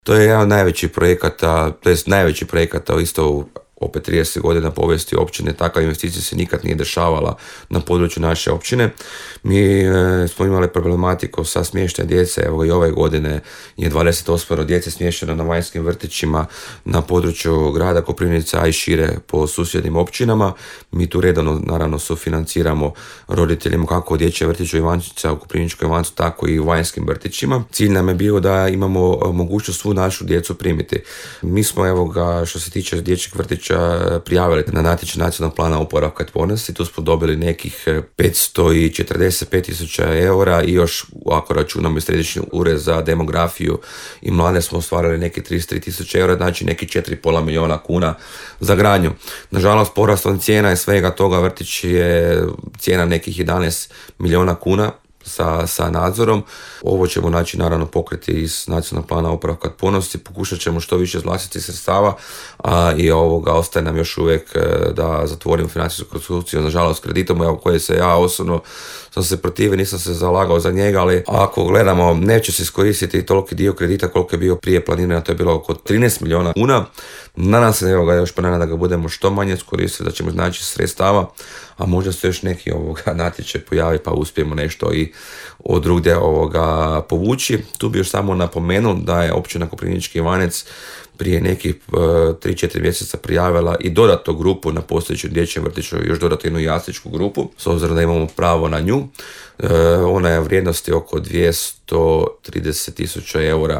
To je jedan od najvećih projekata, to je najveći projekata isto u opet 30 godina povijesti općine. Takva investicija se nikad nije dešavala na području naše općine. Mi smo imali problematiku sa smještajem djece, evo i ove godine je 28 djece smješteno na vanjskim vrtićima na području grada Koprivnice, a i šire po susjednim općinama. Mi tu redovno naravno sufinanciramo roditeljima kako u dječjem vrtiću Ivančica u Koprivničkoj Ivancu, tako i u vanjskim vrtićima. Cilj nam je bio da imamo mogućnost svu našu djecu primiti. Mi smo, evo ga, što se tiče dječjeg vrtića, prijavili na natječaj Nacionalnog plana oporavka i otpornosti. Tu smo dobili nekih 545.000 eura i još, ako računamo i Središnji ured za demografiju i mlade, smo ostvarili neki 33.000 eura, znači neki 4,5 milijuna kuna za gradnju. Nažalost, porastom cijena i svega toga vrtić je cijena nekih 11 milijuna kuna sa nadzorom. Ovo ćemo naravno pokriti iz Nacionalnog plana oporavka i otpornosti, pokušat ćemo što više iz vlastitih sredstava, a i ostaje nam još uvijek da zatvorimo financijsku konstrukciju, nažalost kreditom koje se ja osobno sam se protivio, nisam se zalagao za njega, ali ako gledamo, neće se iskoristiti toliki dio kredita koliko je bio prije planirano, to je bilo oko 13 milijuna kuna. Nadam se još da ga budemo što manje iskoristiti, da ćemo znači sredstava, a možda se još neki natječaj pojavi pa uspijemo nešto i od drugdje povući. Tu bi još samo napomenuo da je općina Koprivnički Ivanec prije nekih 3-4 mjeseca prijavila i dodatnu grupu na postojećem dječjem vrtiću, još dodatnu jednu jasličku grupu, s obzirom da imamo pravo na nju. Ona je vrijednosti oko 230.000 eura